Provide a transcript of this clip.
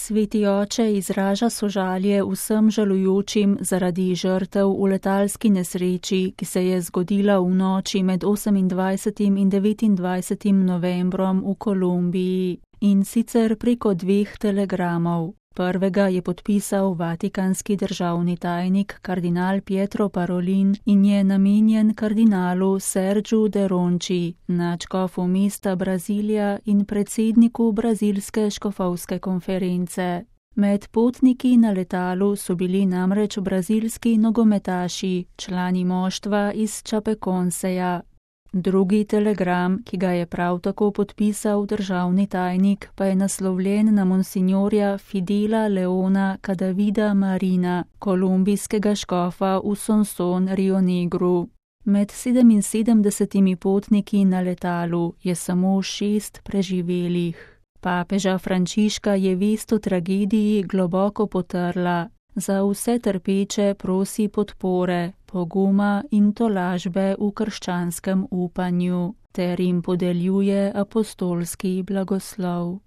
Sveti oče izraža sožalje vsem žalujočim zaradi žrtev v letalski nesreči, ki se je zgodila v noči med 28. in 29. novembrom v Kolumbiji, in sicer preko 2 telegramov. Prvega je podpisal vatikanski državni tajnik kardinal Pietro Parolin in je namenjen kardinalu Sergiu de Ronchi, nadškofu mesta Brazilija in predsedniku brazilske škofovske konference. Med potniki na letalu so bili namreč brazilski nogometaši, člani moštva iz Chapecoenseja. Drugi telegram, ki ga je prav tako podpisal državni tajnik, pa je naslovljen na monsinjorja Fidela Leona Cadavida Marina, kolumbijskega škofa v Sonson Rio Negru. Med 77 potniki na letalu je samo 6 preživelih. Papeža Frančiška je vest o tragediji globoko potrla. Za vse trpeče prosi podpore, poguma in tolažbe v krščanskem upanju ter jim podeljuje apostolski blagoslov.